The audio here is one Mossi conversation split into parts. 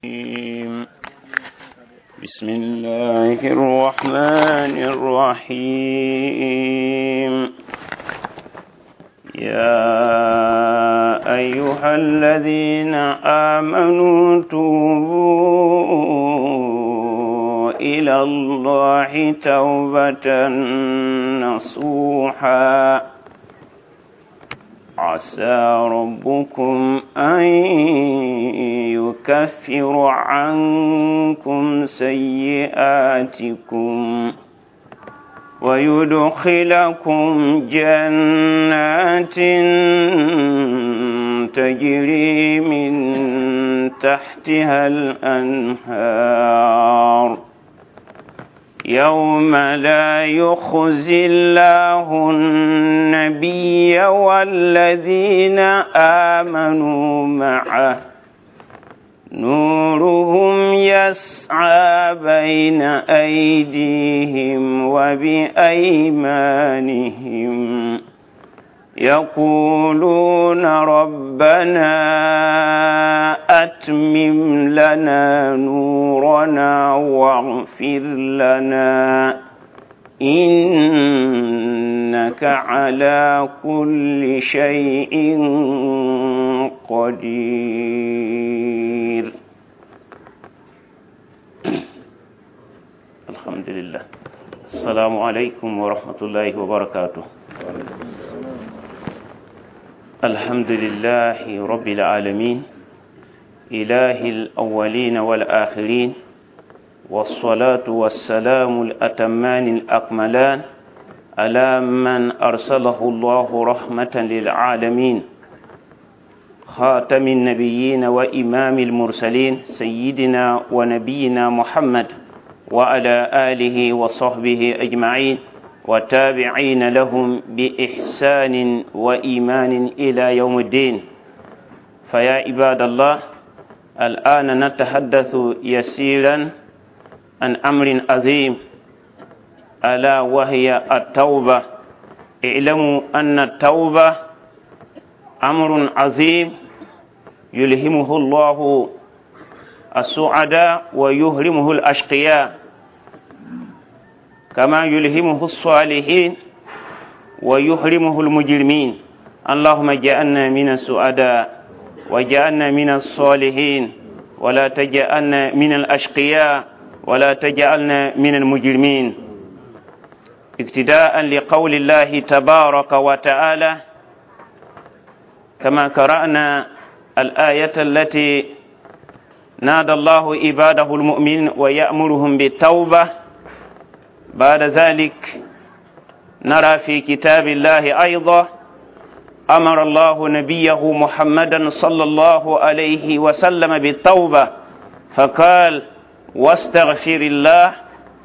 الرجيم. بسم الله الرحمن الرحيم. يا أيها الذين آمنوا توبوا إلى الله توبة نصوحا. عسى ربكم أن يكفر عنكم سيئاتكم ويدخلكم جنات تجري من تحتها الأنهار. يوم لا يخزي الله النبي والذين آمنوا معه، نورهم يسعى بين أيديهم وبأيمانهم، يقولون ربنا أتمم لنا نورنا واغفر لنا إنك على كل شيء قدير. الحمد لله. السلام عليكم ورحمة الله وبركاته. الحمد لله رب العالمين، إله الأولين والآخرين، والصلاة والسلام الأتمان الأكملان على من أرسله الله رحمة للعالمين، خاتم النبيين وإمام المرسلين، سيدنا ونبينا محمد وعلى آله وصحبه أجمعين وتابعين لهم بإحسان وإيمان إلى يوم الدين. فيا عباد الله، الآن نتحدث يسيرا عن أمر عظيم، ألا وهي التوبة. اعلموا أن التوبة أمر عظيم يلهمه الله السعداء ويهرمه الأشقياء، كما يلهمه الصالحين ويحرمه المجرمين. اللهم اجعلنا من السعداء واجعلنا من الصالحين، ولا تجعلنا من الأشقياء ولا تجعلنا من المجرمين. اقتداء لقول الله تبارك وتعالى، كما قرأنا الآية التي نادى الله عباده المؤمنين ويأمرهم بالتوبة. بعد ذلك نرى في كتاب الله أيضا أمر الله نبيه محمدا صلى الله عليه وسلم بالتوبة، فقال: واستغفر الله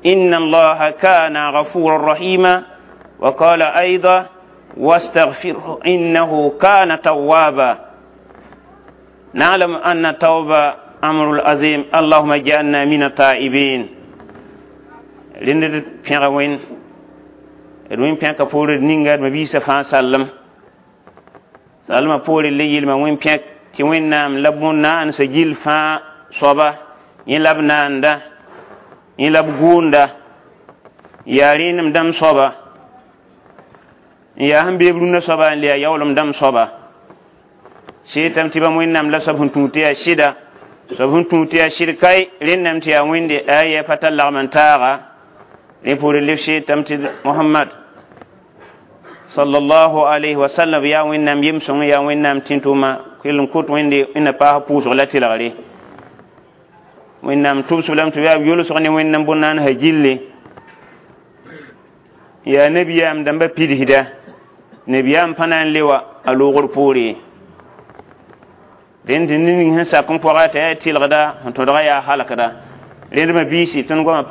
إن الله كان غفورا رحيما. وقال أيضا: واستغفره إنه كان توابا. نعلم أن التوبة أمر عظيم، اللهم اجعلنا من التائبين. Rẽnd pẽga wẽnd d wẽn pẽka poore ninga d mabiisã fãa sallem sallmã poore le yɩlma wẽn pẽk tɩ wẽnnaam la bõn-naandsã gill fãa soaba, yẽ la b naanda, yẽ la b gʋʋnda, yaa rẽenem dãmb soaba, n yaa sẽn beeb rũndã soaba, n le yaa yaoolem dãmb soaba. Seetame tɩ bãmb wẽnnaam la soab sẽn tũud tɩ yaa sɩda, soab sẽn tũud tɩ yaa sɩd kae rẽnname tɩ yaa wẽnde aya pa tar lagm n taaga. Rẽ poore leb seetame tɩ Mohamad sallallahu alayhi wa sallam yaa wẽnnaam yem-sõng, yaa wẽnnaam tẽn-tʋʋma kell n kot wẽnde wẽnna paas pʋʋsg la tɩlgre. Wẽnnaam tʋbsb lame tɩ yaa b yolsg ne wẽnnaam bõn-naandsã gilli. Yaa nabiyaam dãmbã pidsda, nabiyaam pa na n le wa a loogr poore. Rẽnd tɩ ned ning sẽn sak n pɔga t'a yaa tɩlgda, sẽn tõdga yaa halkda. Rẽnd mabiisi tõnd goamã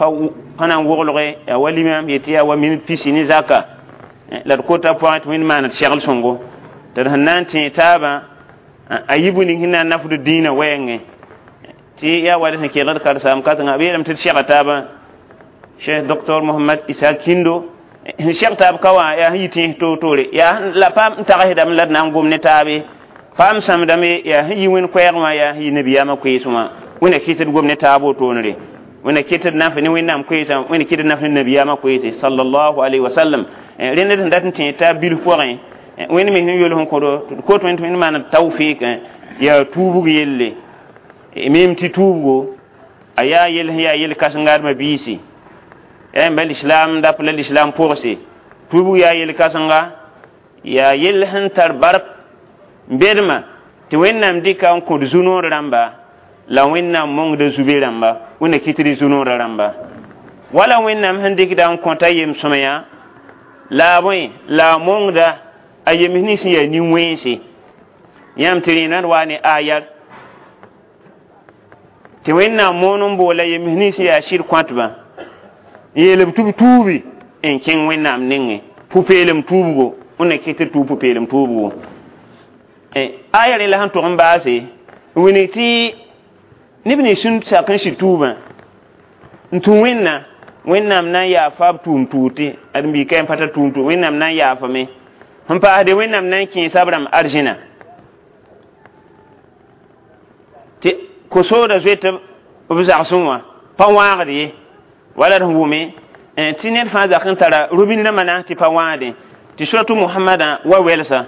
pa na n woglge yaa wa limam yetɩ yaa wa minit pisi ne zaka la d kota pʋgẽ tɩ wẽnd maan d segl sõngo tɩ d sẽn na n tẽeg taabã a yi bũmb ning sẽn na n nafd dĩinã wɛɛngẽ tɩ yaa wa d sẽn kelgd karsaam kãsenga b yeelame tɩ d sega taabã. Cheikh Docteur Mohamad Isa Kindo sẽn seg taab ka wã yaa sẽn yi tẽes toor-toore, yaa la paam n tagsdame la d na n gom ne taabe, paam sãmdame yaa sẽn yi wẽnd koɛɛg wã, yaa sẽn yi nabiyaamã koees wã. Wẽnna kɩt d gom ne taab wotoonre. Wẽnna kɩt d naf ne Wẽnnaam koeesã, Wẽnna kɩt d naf ne nabiyaamã koeese sallallahu alayhi wa sallam. Rẽnd d sẽn dat n tẽ taab bilf pʋgẽ, Wẽnd me sẽn yol sẽn kõdo tɩ d kot Wẽnd tɩ Wẽnd maan tawfɩɩk yaa tuubg yelle. Mim tɩ tuubgo a yaa yell sẽn yaa yel-kãsenga d mabiisi, yaa yẽmba lislaam dap la lislaam pʋgse. Tuubg yaa yel-kãsenga, yaa yell sẽn tar bark n bedmã tɩ Wẽnnaam dɩka n kõd zu-noor rãmba la Wẽnnaam mongda zube rãmba, Wẽnna kɩt d zu-noorã rãmba. Wala Wẽnnaam sẽn dɩkda n kõta yem-sõmyã la a bõe la a mongda a yems nins sẽn yaa nin-wẽnse. Yãmb tɩ rẽndã d waa ne ayar tɩ Wẽnnaam moon n boola yems nins sẽn yaa sɩd kõtbã n yeel b tɩ b tuubi n kẽng Wẽnnaam nengẽ pʋ-peelem tuubgo. Wẽnna kɩt d tuub pʋ-peelem tuubgo. Aya rẽ la sẽn tog n baase n wilg tɩ neb nins sẽn sak n sɩd tuubã n tũ Wẽnna, Wẽnnaam na n yaafa b tʋʋm tuute. Ãdem-biig ka yẽ pa tar tʋʋm tuut, Wẽnnaam na n yaafame. Sẽn paasde, Wẽnnaam na n kẽesa b rãmb arzẽna tɩ ko-sooda zoet b zagsẽ wã pa wãagd ye. Wala d sẽn wʋme tɩ ned fãa zak n tara robin rãmbã naas tɩ pa wãagdẽ tɩ suratu Mohamedã wa wɛlsa: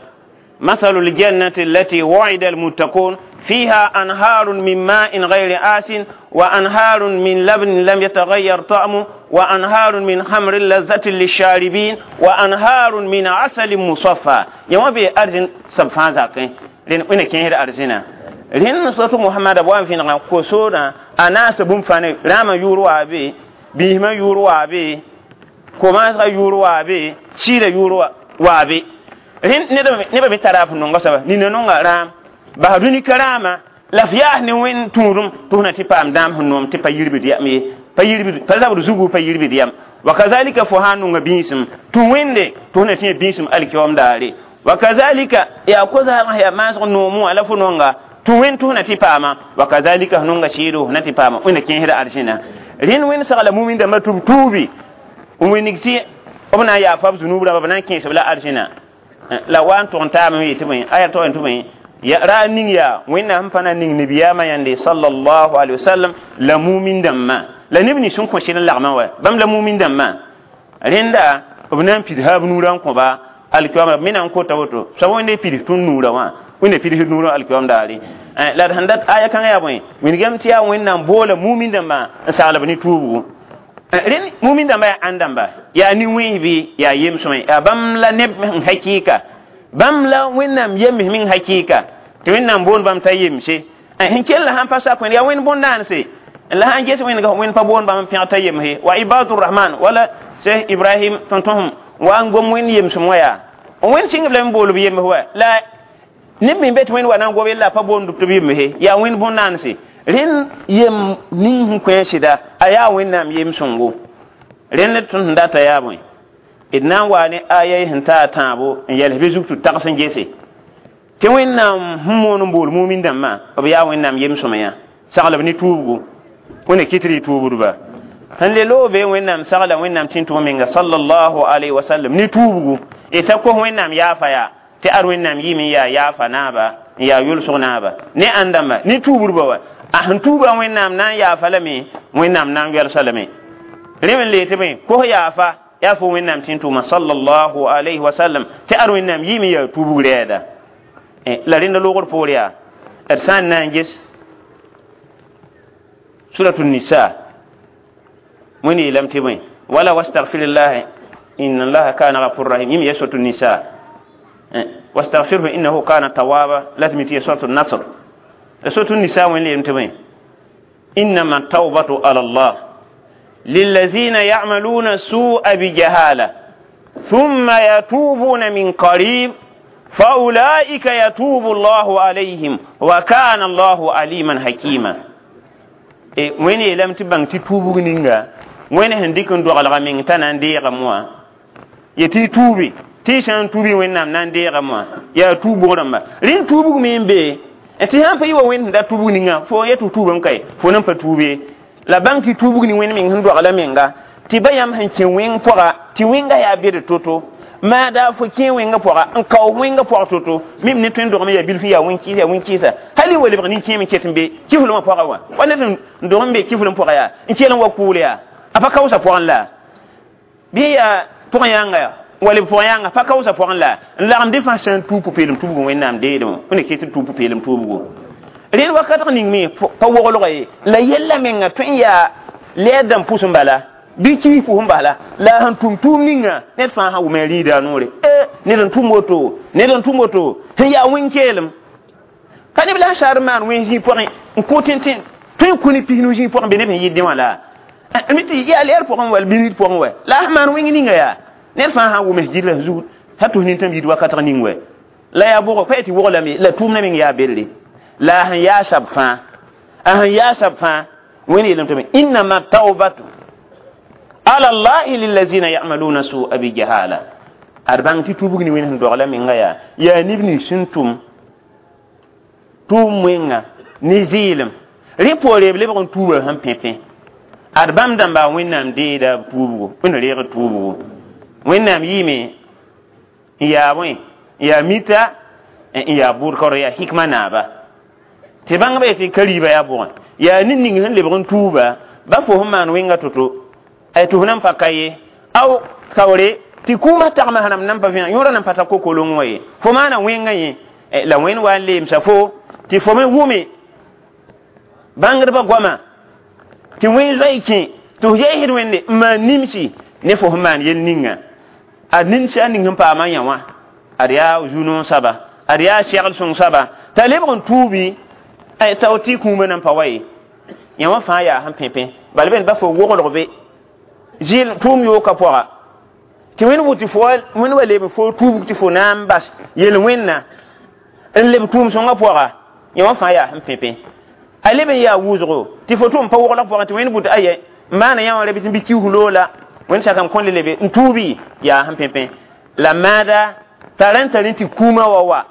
مثل الجنة التي وعد المتقون فيها أنهار من ماء غير آس وأنهار من لبن لم يتغير طعمه وأنهار من خمر لذة للشاربين وأنهار من عسل مصفى. يوم بي أرزن سبفان زاكين لأن وين كين أرزنا لأن صوت محمد أبو أنفين قصورا أنا سبوم فاني راما يورو أبي بيهما يورو أبي كما يورو أبي شير يورو أبي neba me tara f nonga soaba nina nonga rãam bas dũni ka rãama la f yaas ne wẽnd tũudum tɩ f na tɩ paam dãam sẽn noom tɩ pa yirbd yam ye, pa yirbd pa zabd zugu pa yirbd yam. Wa kazalika fo sã n nonga bĩisem tũ wẽnde tɩ f na tɩ yã bĩisem alkiyoom daare. Wa kazalika yaa ko-zaalg yaa maasg noomẽ wã la fo nonga tũ wẽnd tɩ f na tɩ paama. Wa kazalika f nonga sɩɩdo f na tɩ paama. Wẽnna kẽesda arzẽna. Rẽnd wẽnd sagla mumin dãmbã tɩ b tuubi n wilg tɩ b na n yaafa b zunub rãmba, b na n kẽes-b la arzẽna. La wa n tʋg n taame yetɩ bõe aya tog n tɩ bõe ra ning yaa Wẽnnaam sẽn pa na ning nabiyaamã yãnde sallallahu alayhi wa sallam la mumin dãmbã la neb nins sẽn kõ sɩd n lagmã wa bãmb la mumin dãmbã. Rẽnda b na n pids b nuurã n kõba alkiyoomã b me na n kota woto soab Wẽnde pids tõnd nuurã wã, Wẽnde pids nuurã alkiyoom daare. La d sẽn dat aya kãngã yaa bõe wilgame tɩ yaa Wẽnnaam boola mumin dãmbã n sagl b ne tuubgo. Rẽnd mumin dãmba yaa ãn dãmba yaa nin-wẽns bɩ yaa yem-sõme yaa bãmb la neb n hakɩɩka, bãmb la Wẽnnaam yems meng hakɩɩka tɩ Wẽnnaam boond bãmb t'a yemse. Sẽn kell la sãn pa sak Wẽnd yaa Wẽnd bõn-daanse la sãn ges Wẽndga Wẽnd pa boond bãmb n pẽg t'a yemse wa ibadurrahman wala Seh Ibrahim tõn-tõsem wa n gom Wẽnd yemsem wã yaa Wẽnd sɩngb lame bool b yems wa la neb me be tɩ Wẽnd wa na n gob yella a pa boond tɩ b yemse yaa Wẽnd bõn-daanse. Rẽnd yem ning sẽn kõ a sɩda a yaa Wẽnnaam yem-sõngo. Rẽnd d tõnd sẽn data yaa bõe d na n waa ne aya sẽn taa tãabo n yɛls bɩ zug tɩ tags n gese tɩ Wẽnnaam sẽn moon n bool mumin dãmbã b yaa Wẽnnaam yem-sõmyã saglb ne tuubgo. Wẽnna kɩt r tuubdba sẽn le loog be Wẽnnaam sagla Wẽnnaam tẽn-tʋg menga sallallahu alayhi wa sallam ne tuubgo y ta kos Wẽnnaam yaafa yaa tɩ ad Wẽnnaam yɩɩm n yaa yaafa naaba n yaa yʋlsg naaba ne ãn dãmba ne tuubdba wa a sẽn tuuba Wẽnnaam na n yaafa lame, Wẽnnaam na n wɛlsa lame. Rẽ me n le tɩ bõe kos yaafa yaa fo Wẽnnaam tẽn-tʋʋma sallallahu alayhi wa sallam tɩ ad Wẽnnaam yɩɩm n yaa tuubg rɛɛda. La rẽnda loogr poor yaa d sã n na n ges suratu nisa Wẽnd yeelame tɩ bõe wala wastagfirllah inna allaha kana ghafur rahim yĩm ya suratu nisa wastaghfirhu innahu kana tawaba la tɩ mi tɩ ya suratu nasr. Suratu nisa Wẽnd yeelame tɩ bõe innama tawbatu ala allah lillazina ya'maluna su'a bijahala thumma yatubuna min qarib faulaika yatubu allahu alayhim wa kana allahu aliman hakima. Wẽnd yeelame tɩ bãng tɩ tuubg ninga Wẽnd sẽn dɩk n doglga meng t'a na n deegame wã ye tɩ y tuubi tɩ y sã n tuubi Wẽnnaam na n deegame wã yaa tuubg rãmba. Rẽnd tuubg me n be tɩ sãn pa yɩ wa Wẽnd sẽn da tuubg ninga fo yet tɩ tuubame kae fo nan pa tuub ye. La bãng tɩ tuubg ne Wẽnd meng sẽn dogla menga tɩ ba yãmb sẽn kẽ wẽng pʋga tɩ wẽnga yaa bed to-to Ma da fo kẽ wẽngã pʋga n kao wẽngã pʋg to-to mim ne tõe n dogame yaa bilf yaa wẽn-kɩɩsa yaa wẽn-kɩɩsa hal y wa lebg nin-kẽem n ket n be kiflem wã pʋga wã wa ned n dog n be kiflem pʋga yaa n kell n wa kʋʋl yaa a pa kaoosã pʋgẽ la bɩ yaa pʋgẽ yãnga yaa wa leb pʋgẽ yãnga pa kaoosã pʋgẽ la n lagem dẽ fãa sã n tuub pʋ-peelem tuubgu Wẽnnaam deedẽ wã wẽnna ket n tuub pʋ-peelem tuubgu rẽnd wakatg ning me pa woglga ye la yella menga tõe n yaa lɛɛr dãmb pʋs n bala bɩ kiis pʋs n bala la sẽn tʋm tʋʋm ninga ned fãa sã wʋma rĩida a noore ned n tʋm woto ned n tʋm woto sẽn yaa wẽn-keelem ka neb la sar maan wẽn zĩig pʋgẽ n kõ tẽn-tẽn tõe n kõ ne 15 zĩig pʋgẽ be neb sẽn yɩ dẽ wã la mi tɩ yaa lɛɛr pʋgẽ wall birid pʋgẽ wɛ la sẽn maan wẽng ninga yaa ned fãa sã wʋms gɩdra zug t'a tʋs nintãmb yid wakatg ning wɛ la yaa bʋgɔ pa tɩ woglame la tʋʋmdã meng yaa belle la sẽn yaa sab fãa a sẽn yaa sab fãa wẽnd yeelame tɩ innama taubatu ala llahi lillazina yamaluna su'a bijahala ad bãng tɩ tubg ne wẽnd sẽn dogla menga yaa yaa neb nins sẽn tʋm tʋʋm wẽnga ne zɩɩlem rẽ poore b lebg n tuuba sẽn pẽ-pẽ ad bãmb dãmba Wẽnnaam deeda b tuubgo wẽnd reeg tuubgo Wẽnnaam yɩɩme n yaa bõe n yaa mita n yaa bʋʋd kaoor yaa hikma naaba tɩ bãngba yetɩ ka riiba yaa bʋgẽ yaa ned ning sẽn lebg n tuuba ba fo sẽn maan wẽnga to-to ay tɩ f nan pa ka ye aw kaoore tɩ kũumã tagmã rãmb nan pa vẽeg yõora nan pa ta kokolong wã ye fo maana wẽngã yẽ la wẽnd wa n leemsa fo tɩ fo me wʋme bãngdbã goama tɩ wẽn zoe kẽ tɩ f yeesd wẽnde n maan nimsi ne fo sẽn maan yel ninga a nimsi a ning sẽn paama yã wã ad yaa zu-noog soaba ad yaa segl sõng soaba t'a lebg n tuubi tao tɩ kũumã nan pa wa ye yã wã fãa yaa sẽn pẽ-pẽ bala bẽnd ba fo woglg be zɩɩl tʋʋm yooka pʋga tɩ wẽnd wʋ tɩ fo wẽnd wa leb fo tuubg tɩ fo na n bas yel-wẽnna n leb tʋʋm sõngã pʋga yã wã fãa yaa sẽn pẽ-pẽ a leb n yaa wʋsgo tɩ fo tʋm pa woglg pʋgẽ tɩ wẽnd bʋ tɩ ayɛ n maana yã wã ra bɩ tɩ bɩ kius loola wẽnd sakam kõn le lebe n tuubi yaa sẽn pẽ-pẽ la maada t'a rãn tar tɩ kũumã wa wa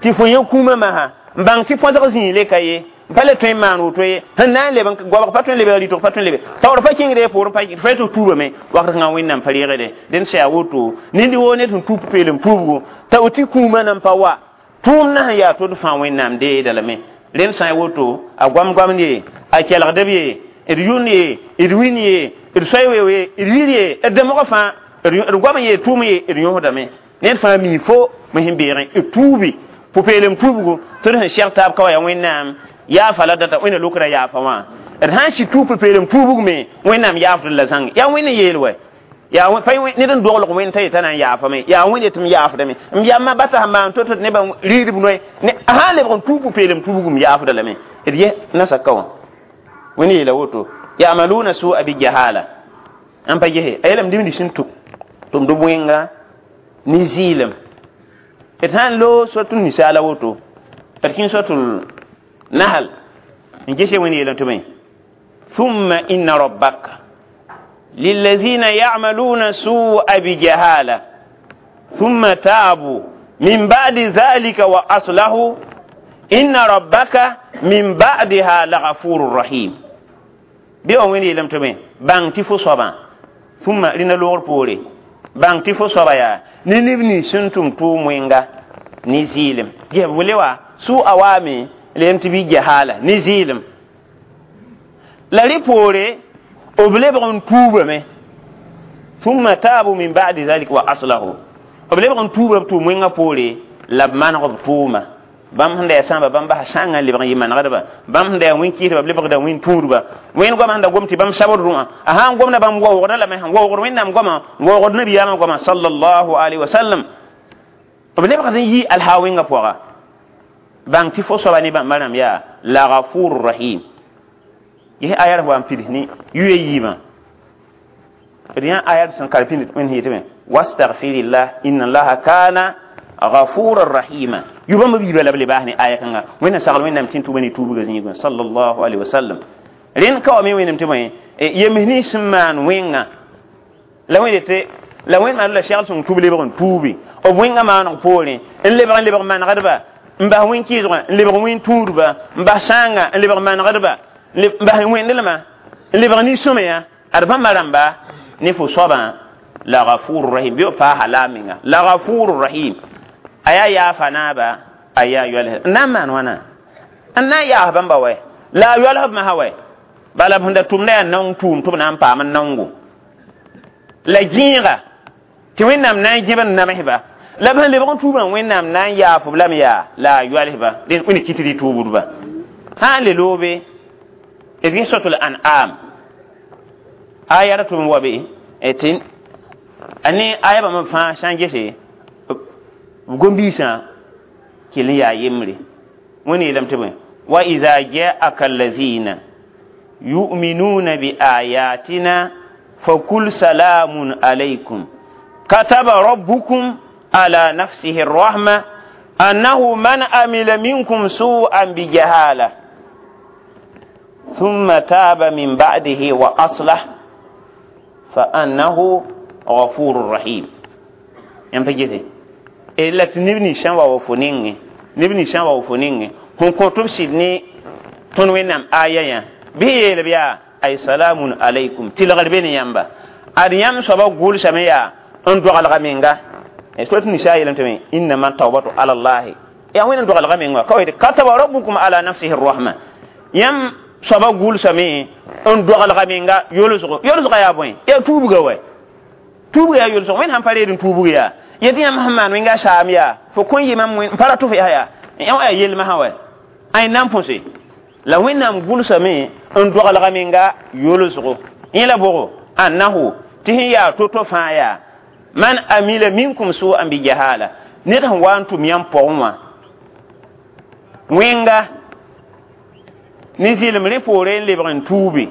tɩ fo yã kũumã masã n bãng tɩ põsg zĩig le ka ye n pa le tõe n maan woto ye sẽn na n leb n goabg pa tõe n lebg rɩtg pa tõe n lebe taoor pa kẽngd poorẽ pa fa tɩ tuubame wakat kãngã Wẽnnaam pa reegde dẽnd sã yaa woto ned woo ned sẽn tuub peelem tuubgo t'a tɩ kũumã nan pa wa tʋʋmdã sẽn yaa tod fãa Wẽnnaam deeda lame rẽnd sã n woto a goam-goamd ye a kelgdb ye d yʋnd ye d win ye d soay weoog ye d yir ye d dãmgã fãa d goam ye tʋʋm ye d yõsdame ned fãa mi fo me sẽn beegẽ d tuubi pʋ-peelem tuubgo tɩ d sẽn seg taab ka wa yaa Wẽnnaam yaafa la data wẽnna lokra yaafa wã d sã n sɩ tuub pʋ-peelem tuubg me Wẽnnaam yaafd la zãng yaa wẽnd n yeel wɛ yaa pa ned n doglg wẽnd t'a yetã na n yaafame yaa wẽnd yetɩ m yaafdame m yamma bata sẽn maan to-to nebã riidb noe a sã n lebg n tuub pʋ-peelem tuubg m yaafda lame d ye nasaka wã wẽnd yeela woto yamaluna su'a bi jahala n pa gese a yeelame dĩmd sẽn tʋmd b wẽnga ne zɩɩlem d sã n loog sot n nisaala woto d kẽng sotul nahal n gese wẽnd yeelame tɩ bõe thumma inna rabbaka lillazina ya'maluna su'a bijahala thumma taabu min ba'di dhalika wa aslahu inna rabbaka min ba'diha laghafurur rahim bɩ wa wẽnd yeelame tɩ bõe bãng tɩ fo soabã thumma rẽnda loogr poore bãng tɩ fo soaba yaa ne neb nins sẽn tʋm tʋʋm wẽnga ne zɩɩlem ges b le wa sʋ-a waame leem tɩ bɩ jahala ne zɩɩlem la rẽ poore b lebg n tuubame thumma taabu min ba'di dhalika wa aslahu b lebg n tuuba b tʋʋm wẽngã poore la b maneg b tʋʋma bãmb sẽn da yaa sãamba bãmb basa sãngã n lebg n yɩ manegdba bãmb sẽn da yaa wẽn-kɩɩsba b lebgda wẽn-tũudba wẽnd goamã sẽn da gom tɩ bãmb sabd rũã a sã n gomda bãmb waoogdã lame sẽn waoogd Wẽnnaam goamã waoogd nabiyaamã goamã sallallahu alaihi wa sallam b lebgd n yɩ alhaa wẽngã pʋga bãng tɩ fo soaba ne bãmba rãmb yaa la gafur rahim ges aya wa n pids ne yuya yiibã d yã aya sẽn kar pĩnd wẽnd sẽn yetɩ me wastagfirillah inna allaha kana ghafuran rahima yubãmb biiba la b le baas ne aya kãnga wẽnna sagl Wẽnnaam tɩ n tʋba ne tuubgã zĩigã sallallahu alaihi wasallam rẽnd ka wa me wẽnnaam tɩ bõe yems nins sẽn maan wẽnga la wẽnd tɩ la wẽnd maan la segl sõng tʋb lebg n tuubi b wẽngã maaneg poorẽ n lebg manegdba n bas wẽn-kɩɩsgã n lebg wẽn-tũudba n bas sãanga n lebg manegdba n bas wẽndelmã n lebg nin-sõmyã ad bãmba rãmba ne fo soabã La ghafurur rahim bi pa halaminga la ghafurur rahim aya ya fanaba aya yol na man wana anna ya bamba we la yol ma hawe bala bunda tumna nan tum tum nan pa man nangu la jinga ti wẽnnaam na n gẽb n namsba la b sẽn lebg n tuubã wẽnnaam na n yaaf b lame yaa la a yoalsba wẽnd kɩt rɩ tuubdba sã n le loobe d gɩs suratul an'am aya ra tʋm wa be tɩ a ne aya bãmb fãa sã n gese b gom-biisã kell n yaa yembre wẽnd yeelame tɩ bõe wa ida jaaka allazina yu'minuna bi ayatina fakul salamun alaykum كتب ربكم على نفسه الرحمة أنه من عمل منكم سوءا بجهالة ثم تاب من بعده وأصلح فأنه غفور رحيم. ينفجته إلا تنبني شان وفنين نبني شان وفنين هم كنتم سيدني تنوينام آية به يلبيا أي سلام عليكم تلغربين ينبا أريام سبا قول سميا n dogalga menga surat nisa yeelame tɩ innama tawbatu ala llahi yaa wẽnd n dogalga menga ka tɩ kataba rabbukum ala nafsihi rrahma yãmb soaba gʋlsame n dogalga menga yolsgo yolsga yaa bõe yaa tuubga wa tuubga yaa yolsgo wẽnd sãn pa reed n tuubg yaa yetɩ yãmb sẽn maan wẽnga saam yaa fo kõn yɩ mam n pa ra tʋf yaa yaa yã yaa yelmsã wa ay nan põse la wẽnnaam gʋlsame n dogalga menga yolsgo yẽ la bʋgo annahu tɩ sẽn yaa to-to fãa yaa man amila minkum su'an bi jahala ned sẽn wa n tʋm yãmb pʋgẽ wã wẽnga ne zɩlem rẽ poore n lebg n tuube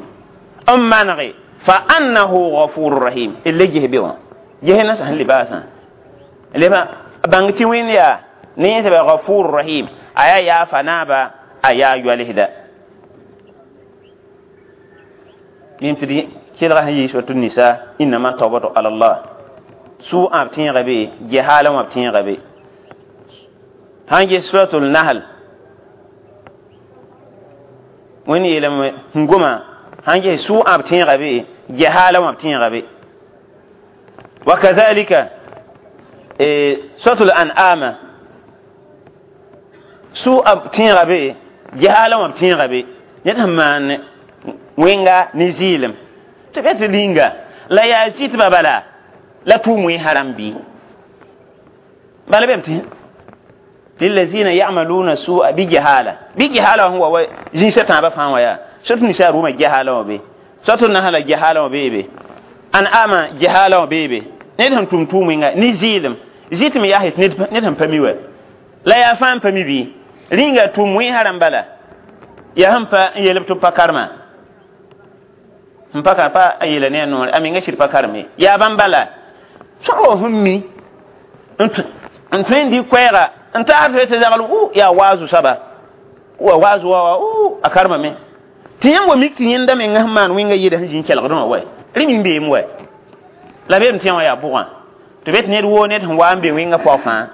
n manege fa annahu ghafurur rahim d le ges be wã ges na sẽn lebaasã leba bãng tɩ wẽnd yaa ne yẽ tɩ ghafurur rahim a yaa yaafa naaba a yaa yoalsda mim tɩ d kelga sẽn yɩ suratu nisa innama tawbatu ala allah su'a b tẽega be gehaala wã b tẽega be sãn ges suratul nahl wẽnd yeelame sẽn goma sãn ges su'a b tẽega be gehaala wã b tẽega be wa kazalika suratul an'ama su'a b tẽega be gehaala wã b tẽega be ned sẽn maan wẽnga ne zɩɩlem tɩ be tɩ linga la yaa zɩtbã bala la tʋʋm haram bi bala bem tɩ lillazina ya'maluna su'a bi jahala bi jahala huwa wa jinsa tãabã fãa wã yaa sot nisa rʋʋmã jahala wã be sot nahala jahala wã beebe an ama jahala wã beebe ned sẽn tʋm tʋʋm wẽnga ne zɩɩlem zɩtme yaa tɩ ned sẽn pa mi wa la yaa fãa n pa mi bɩ rĩnga tʋʋm wẽ haram bala yaa sẽn pa n yeelb tɩ b pa karema n pa kar pa a yeela ne a noore a menga sɩd pa kareme yaa bãmb bala sõsgo sẽn mi n tõe n dɩ koɛɛga n taar tɩ tɩ zagl yaa waazu soaba wa waazu wa a karemame tɩ yãmb wa mik tɩ yẽnda menga sẽn maan wẽnga yɩɩda sẽn zĩ n kelgdẽ wã wa rẽ min beem wa la beem tɩ yã wã yaa bʋgã tɩ be tɩ ned woo ned sẽn wa n be wẽnga pɔg fãa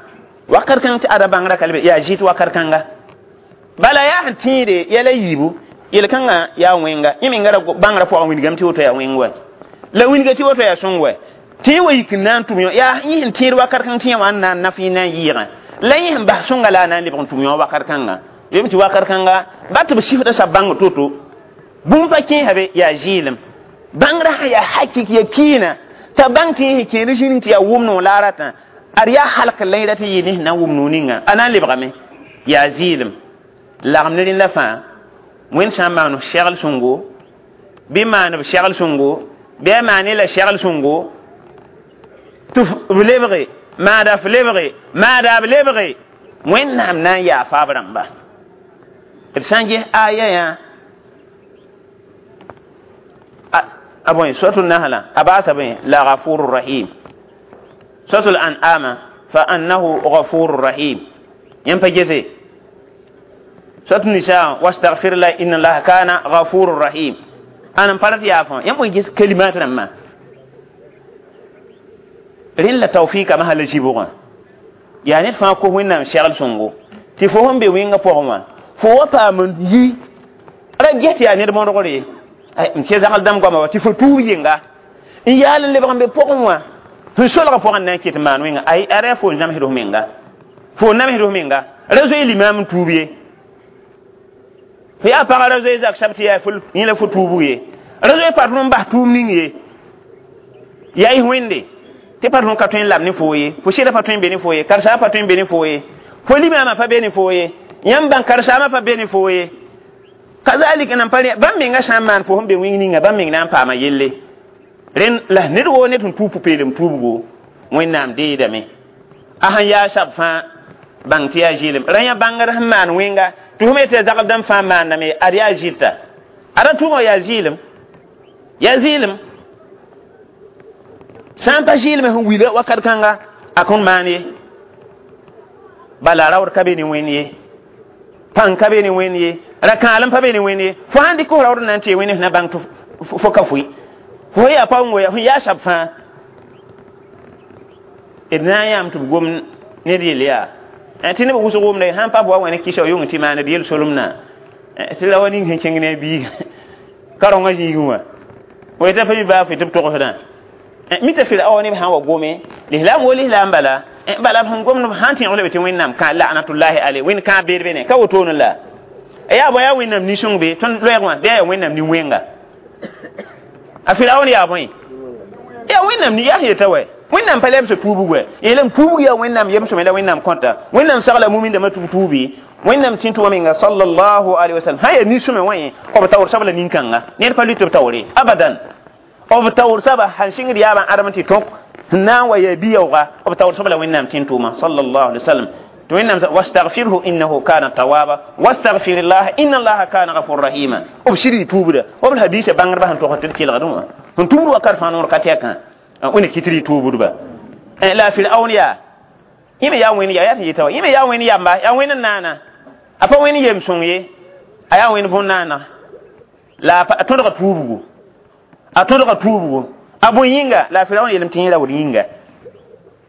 wakat kãng tɩ ada bãngrã ka le yaa zɩt wakat kãnga bala yaa sẽn tẽede yɛla yiibu yel-kãngã yaa wẽnga yẽ menga ra bãngrã pʋgã wilgame tɩ woto yaa wẽng wa la wilga tɩ woto yaa sõng wa tɩ wa yik n na n tʋm yõ yaa yẽ sẽn tẽed wakat kãng tɩ yã wã n na n naf yẽ na n yɩɩgã la yẽ sẽn bas sõnga la a na n lebg n tʋm yõ wakat kãnga bem tɩ wakat kãnga ba tɩ b sifda sab bãng to-to bũmb pa kẽesa be yaa zɩɩlem bãngrã sã yaa hakik ya kiina t'a bãng tɩ yẽ sẽn kẽed zĩnig tɩ yaa wʋm no la a ratã ad yaa halk la yẽ rat n yɩ ne sẽn na n wʋm no ninga a na n lebgame yaa zɩɩlem lagem ne rẽnda fãa wẽnd sã n maan segl sõngo bɩ maan b segl sõngo bɩ a maan la segl sõngo tɩ b lebge maada f lebge maada b lebge wẽnnaam na n yaafa b rãmba d sã n ges aya yã a bõe suratul nahla a baasa bõe la ghafurur rahim suratul an'ama fa annahu ghafurur rahim yãmb pa gese suratul nisa wastaghfir la inna allaha kana ghafurur rahim ãn n pa rat yaafã yãmb bõe ges kalimat rãmbã rẽnd la tawfika masã la zibgã yaa ned fãa kos wẽnnaam segl sõngo tɩ fo sẽn be wẽngã pʋgẽ wã fo wa paam n yi ra ges tɩ yaa ned mõdgre n tɩ zagl dãmb goama wa tɩ fo tuub yenga n yaal n lebg n be pʋgẽ wã Sẽn solgã pʋgẽ na n kɩt maan wẽnga ay ara fo namsd f menga fo namsd f menga ra zoe limaam n tuub ye fo yaa pagã ra zoe zak sab tɩ yaa yẽ la fo tuubg ye ra zoe pat n bas tʋʋm ning ye yaa y wẽnde tɩ pat ka tõe n lab ne foo ye fo sɩda pa tõe n be ne foo ye karsaag pa tõe n be ne foo ye fo limaamã pa be ne foo ye yãmb bãng karsaamã pa be ne foo ye kazalik nan pa bãmb menga sã n maan fo sẽn be wĩng ninga bãmb meng na n paama yelle rẽn la ned woo ned sẽn tuub pʋ-peelem tuubgo wẽnnaam deedame a sẽn yaa sab fãa bãng tɩ yaa zɩɩlem ra yã bãngr sẽn maan wẽnga tɩ fo me tɩ zagl dãmb fãa maandame ad yaa zɩta ada tʋʋmã yaa zɩɩlem yaa zɩɩlem sã n pa zɩɩlem sẽn wila wakat kãnga a kõn maan ye bala raood ka be ne wẽnd ye pãng ka be ne wẽnd ye ra-kãalem pa be ne wẽnd ye fo sãn dɩk f raood n na n tɩ wẽnd na bãng tɩ fo ka fʋɩ fo yaa pa n fo yaa sab fãa d na n yãam tɩ b gom ned yel yaa tɩ neb wʋsg wʋmda sãn pa wa wẽnd kɩsa yʋng tɩ maan d yel solemna tɩ la wa ning sẽn kẽng ne a biiga ka-rõngã zĩigẽ wã fo yeta pa mi baa fo tɩ b togsdã mita Firaun neb sã n wa gome lislaam wo lislaam bala bala b sẽn gomd sãn tẽeg lame tɩ wẽnnaam kã la'natullahi alay wẽnd kãab beed be ne ka wotone la yaa bõe yaa wẽnnaam nin-sõng be tõnd loɛɛg wã bɩ yaa wẽnnaam nin-wẽnga a Firaun yaa bõe yaa wẽnnaam yaa sẽn yeta wɛ wẽnnaam pa lebs tuubg wɛ yeelame tuubg yaa wẽnnaam yem-sõme la wẽnnaam kõta wẽnnaam sagla mumindãmã tɩ b tuubi wẽnnaam tĩ tʋma menga sallallahu alaihi wasallam sã yaa nin-sõme wã yẽ b taoor sabla nin-kãnga ned pa lʋɩ tɩ b taoore abadan b taoor saba sãn sɩngd yaabã ãdem tɩ tõk sẽn na n wa yaa bi-yaooga b taoor sab la wẽnnaam tĩ tʋʋma sallallahu alaihi wasallam tɩ wẽnnaam wastaghfirhu innahu kana tawaba wastaghfir llah inna allaha kana ghafur rahima b sɩd tuubda b hadisa bãngdbã sẽn togs tɩ d kelgdẽ wã sẽn tubd wakat fãa noor ka tɛkã wẽnd kɩt rɩ tuubdba la Firaun yaa yẽ me yaa wẽnd yaa tɩ yeta wa yẽ me yaa wẽnd yamba yaa wẽnd n naana a pa wẽnd yem sõng ye a yaa wẽnd bõn-naana la a tõdga tuubgo a tõdga tuubgo a bõe yĩnga la Firaun yeelame tɩ yẽ raood yĩnga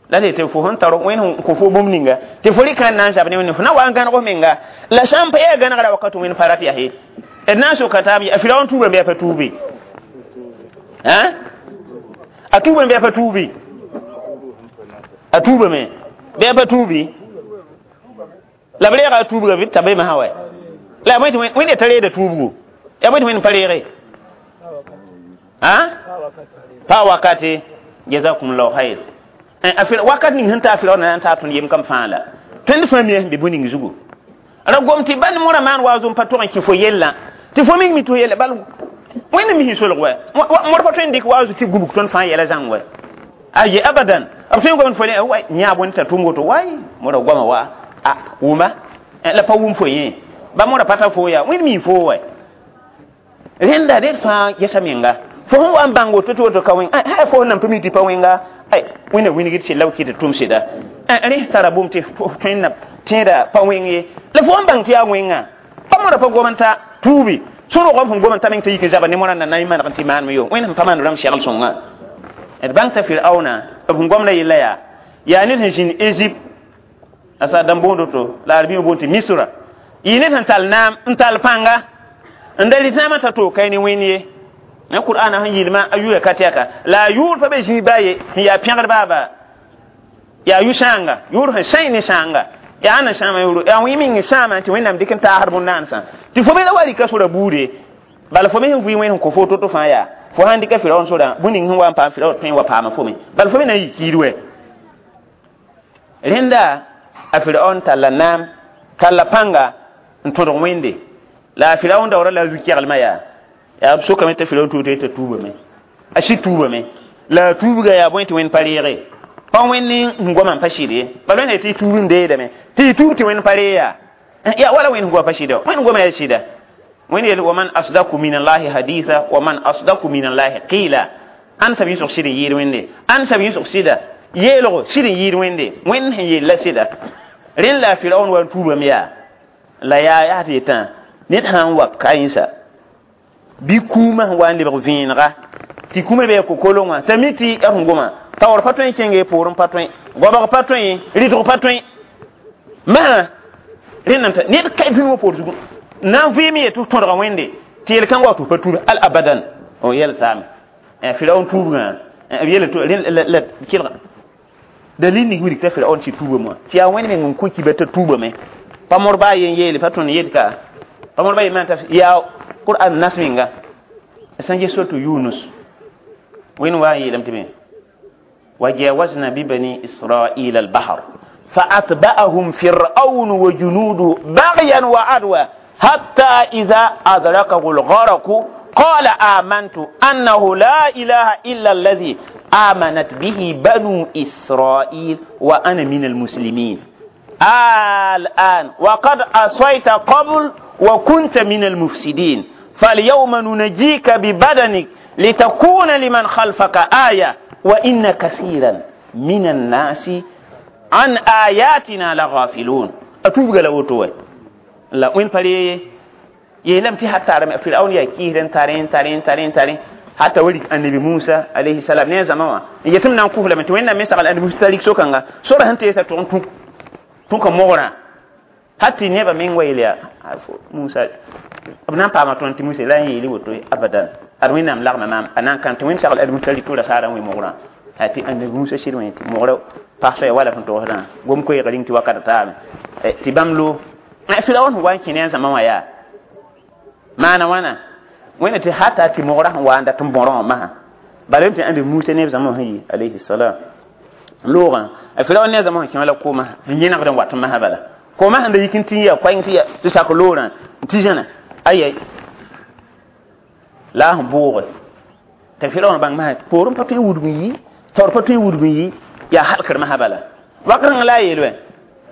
la tɩ fo sẽn tar wẽnd sẽn kõ fo bũmb ninga tɩ fo rɩka n na n zab ne wẽnde fo na wa n gãneg f menga la sã n pa yaa gãnegra wakat wẽnd pa rat yaa ye d na n soka taab a Firaun tuubame bɩ a pa tuube a tuubame bɩ a pa tuubi a tuubame bɩ a pa tuubi la b reega a tuubga bɩ t'a be masã wɛ la bõe tɩ wẽnd ta reeda tuubgo yaa bõe tɩ wẽnd pa reege pa wakate jazakumullahu khair a wakat ning sẽn taa Firaun na n taa tõnd yem kam fãa la tõnd fãa mia sẽn be bõe ning zugu ra gom tɩ bãnd morã maan wa zom pa tog n kẽ fo yellã tɩ fo ming mi tɩ fo yella bal wẽnd mi sẽn solg wɛ mor pa tõe n dɩk wa zu tɩ gubg tõnd fãa yɛla zãng wɛ aye abadan b tõe n gomd fo le wa yã bõe t'a tʋm woto way mora goama wa a wʋma la pa wʋm fo yẽ ba mora pa ta fo yaa wẽnd mi fo wɛ rẽnda ned fãa gesa menga fo sẽn wa n bãng woto tɩ woto ka wẽng ha fo sẽn nan pa mi tɩ pa wẽnga ay wẽnna wingd sɩd la b kɩt tʋm sɩda rẽ tara bũmb tɩ tõe n na tẽeda pa wẽng ye la fo n bãng tɩ yaa wẽnga pa mora pa gom n ta tuubi sũ-rogam sẽn gom n ta meng t'a yik n zaba ne morã na na n maneg n tɩ maaneme yo wẽnd sẽn pa maan rãmb segl sõnga d bãng t'a Firauna b sẽn gomda yella yaa yaa ned sẽn zĩnd Égypte a sa dãmb boond woto la arabɩ boond tɩ Misra yɩ ned sẽn tall naam n tall pãnga n da rɩt naamã t'a toog kae ne wẽnd ye na Qur'ana sẽn yɩlmã a yʋʋra ka tɛka la a yʋʋr pa be zĩig baa ye sẽn yaa pẽgd baaba yaa yʋ-sãanga yʋʋr sẽn sãy ne sãanga yaa ãnna sãama yʋʋr yaa wẽ meng sãama tɩ wẽnnaam dɩk n taasd bõn-naansã tɩ fo me la wa rɩka sora buude bala fo me sẽn vɩ wẽnd sẽn kõ fo to-to fãa yaa fo sãn dɩka Firaun sorã bũn ning sẽn wa n paam Firaun tõe n wa paama fo me bala fo me na n yɩ kiid wɛ rẽnda a Firaun talla naam talla pãnga n tõdg wẽnde la a Firaun daoora la a zu-keglmã yaa yaa b sokame t'a Firaun tuub t'a tuubame a sɩd tuubame la a tuubga yaa bõe tɩ wẽnd pa reege pa wẽnd n goamã n pa sɩd ye bala wẽnd tɩ tuub n deedame tɩ y tuub tɩ wẽnd pa ree yaa yaa wala wẽnd goa pa sɩda wẽnd goama yaa sɩda wẽnd yel wa man asdaku min allahi haditha wa man asdaku min allahi qila ãn sab yĩsg sɩd n yɩɩd wẽnde ãn sab yĩsg sɩda yeelgo sɩd n yɩɩd wẽnde wẽnd sẽn yella sɩda rẽnd la a Firaun wa n tuubame yaa la yaa yaa tɩ yetã ned sã n wa ka yẽsa bɩ kũumã sẽn wa n lebg vẽenega tɩ kũumã be kokolongã t'a mi tɩ b sẽn goma taoor pa tõe n kẽnge poorẽ pa tõe goabg pa tõe rɩtg pa tõe masã rẽnd n ned ka dũni wã poor zugu na n vɩɩm ye tɩ tõdga wẽnde tɩ yel-kãngã wa tɩ pa tuub al abadan o yɛl saame Firaun tuubgã Yele to la kelga dalil ning mi ta Firaun tɩ tuubame wã tɩ yaa wẽnd meng n kõ kiba t'a tuubame pa mor baa yen yeele pa tõnd yet ka pa mor baa yen maan t'a yaa Qur'an nas menga sẽn ges soto Yunus wẽnd wa n yeelame tɩ me وجاوزنا ببني إسرائيل البحر فأتبعهم فرعون وجنوده بغيا وعدوا حتى إذا أدركه الغرق قال آمنت أنه لا إله إلا الذي آمنت به بنو إسرائيل وأنا من المسلمين الآن وقد عصيت قبل وكنت من المفسدين فاليوم ننجيك ببدنك لتكون لمن خلفك آية وإن كثيرا من الناس عن آياتنا لغافلون أتوب قال لا وين فري يلم تي حتى رم فرعون يا كيرن تارين تارين تارين تارين حتى ولد النبي موسى عليه السلام ne zama yetim nan kufla mit wenna me sagal annabi Musa lik sokanga sora hante yesa to tun ka mogora hatti neba men wayliya Musa abnan pa ma ton ti Musa la yeli woto abadan ar wẽnnaam lagma maam a na n kãn tɩ wẽnd sagl ad-musa rɩk la saara n wẽ mogrã tɩ annabi Musa sɩd wẽ tɩ mogrã pagsã ya wala sẽn togsdã gom koeeg rĩng tɩ wakat taame tɩ bãmb lo Firaun sẽn wa n kẽ ne a zãma wã yaa maana wãna wẽnna tɩ hata tɩ mogrã sẽn wa n dat n bõrã wã masã bala tɩ annabi Musa ne b zãma sẽn yi alayhi salam loogã a Firaun ne a zãma sẽn kẽ la kooma n yẽnegd n wat n masã bala kooma sẽn da yik n tɩ ya koɛng tɩ ya tɩ sak loorã n tɩ zãna ayai la sẽn bʋʋge tɩ Firaun bãng masã poorẽ pa tõe n wudg n yi taoor pa tõe n wudg n yi yaa halkr masã bala wakat rãng la a yeel wɛ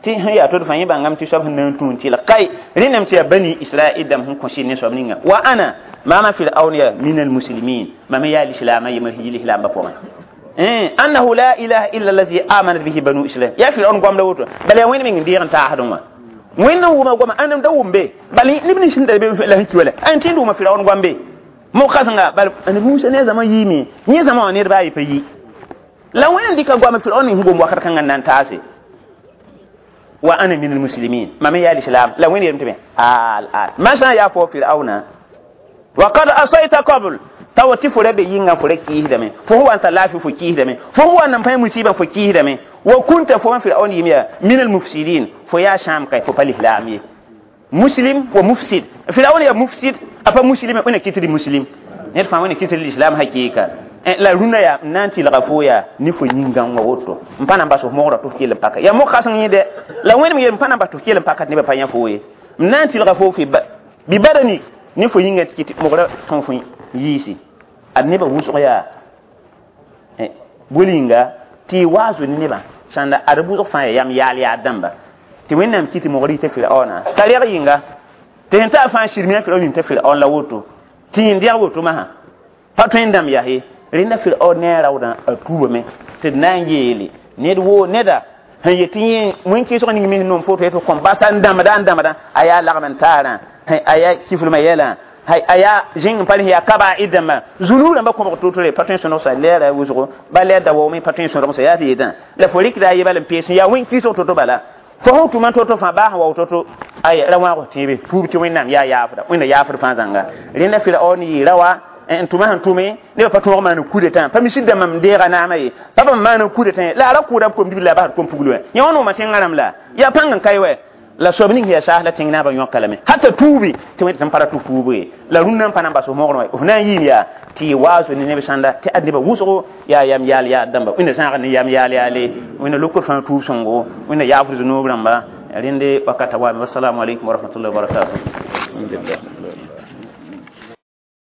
tɩ sẽn yaa tod fãa yẽ bãngame tɩ soab sẽn na n tũ n tɩlg kai rẽndame tɩ yaa bani Israɛl dãmb sẽn kõ sɩd ne soab ninga wa ana maama Firaun ya min almuslimin mam yaa lislaamã yembr sẽn yi lislaambã pʋgẽ annahu la ilaha illa allazi amanat bihi banu israil ya Firaun goam la woto bala yaa wẽnd meng n deeg n taasdẽ wã wẽnd n wʋma goama ãndem da wʋm be bala neb nins sẽn da be la sẽn ki wala ãn tẽnd wʋma Firaun goam be mo-kãsenga bala annabi Musa ne a zãma yiime yẽ zãma wã ned baa ye pa yi la wẽnd n dɩka goama Firaun ning sẽn gom wakat kãngã n na n taase wa ana min almuslimin mam yaa lislam la wẽnd yeelame tɩ me al al masã yaa fo Firauna wa qad asayta qabl tawa tɩ fo ra be yĩngã fo ra kiisdame fo sẽn wa n tar laafɩ fo kiisdame fo sẽn wa n nan pãe musiibã fo kiisdame wa kunta fo wã Firaun yɩm yaa min almufsidin fo yaa sãam ka fo pa lislaam ye muslim wa mufsid Firaun ya mufsid a pa muslim wẽna kɩt tɩ muslim ned fãa wẽna kɩt tɩ lislam hakɩɩka la rũndã yaa n na n tɩlga fo yaa ne fo yĩngã wã woto n pa na n bas f mogrã tɩ f kell n paka yaa mog-kãseng yẽ dɛ la wẽnem yel n pa na n bas tɩ f kell n paka tɩ nebã pa yã fo ye n na n tɩlga fo fɩ bɩ badani ne fo yĩngã tɩ kɩt mogrã tõe fo yiisi ad nebã wʋsg yaa bol-yĩnga tɩ y waazo ne nebã sãnda ad wʋsg fãa yaa yam yaal yaad dãmba tɩ wẽnnaam kɩ tɩ mogr yita Firaona t'a reg yĩnga tɩ sẽn ta fãa sirmã Firaun yĩm t'a Firaun la woto tɩ yẽn dɛg woto masã pa tõe n dãmb yaa ye rẽnda Firaun ne a raoodã a tuubame tɩ d na n yeele ned woo neda sẽn yet tɩ yẽ wẽn-kɩɩsg ning me sẽn nom foto tɩ kõm basa n dãmbda n dãmbda a yaa lagm n taarã a yaa kiflmã yɛlã a yaa zĩng n pa yaa kabaa'id dãmbã zũnug rãmbã kõbg to-tore pa tõe n sõdgsa lɛɛra wʋsgo ba lɛɛr da waoome pa tõe n sõdgsa yaa tɩ yetã la fo rɩkda a yebal n pees yaa wẽn-kɩɩsg to-to bala fo sẽn tʋma to-to fãa baa sẽn wao to-to ay ra wãag tẽebe tuub tɩ wẽnnaam yaa yaafda wẽnna yaafd fãa zãnga rẽnda Firaun yɩ ra wa n tʋma sẽn tʋme nebã pa tõog maan kudetã pa misd dãmbã m deega naamã ye pa bãmb maan kudetã la a ra kʋʋda b kom-dibl la a basd kom-pugl wɛ yã wã noomã tẽngã rãmb la yaa pãng n ka wɛ la soab ning yaa saas la tẽng naabã yõka lame hata tuubi tɩ wẽnd tɩ n pa ra tɩ tuub ye la rũnnã n pa na n bas f mogrẽ wã f na n yɩɩm yaa tɩ y waazo ne neb sãnda tɩ ad nebã wʋsgo yaa yam yaal yaad dãmba wẽnna zãag ne yam yaal yaale wẽnna lokr fãa tuub sõngo wẽnna yaafd zunub rãmba rẽnde wakata waame wassalamu alaikum warahmatullahi wabarakatuh. Alhamdulillah.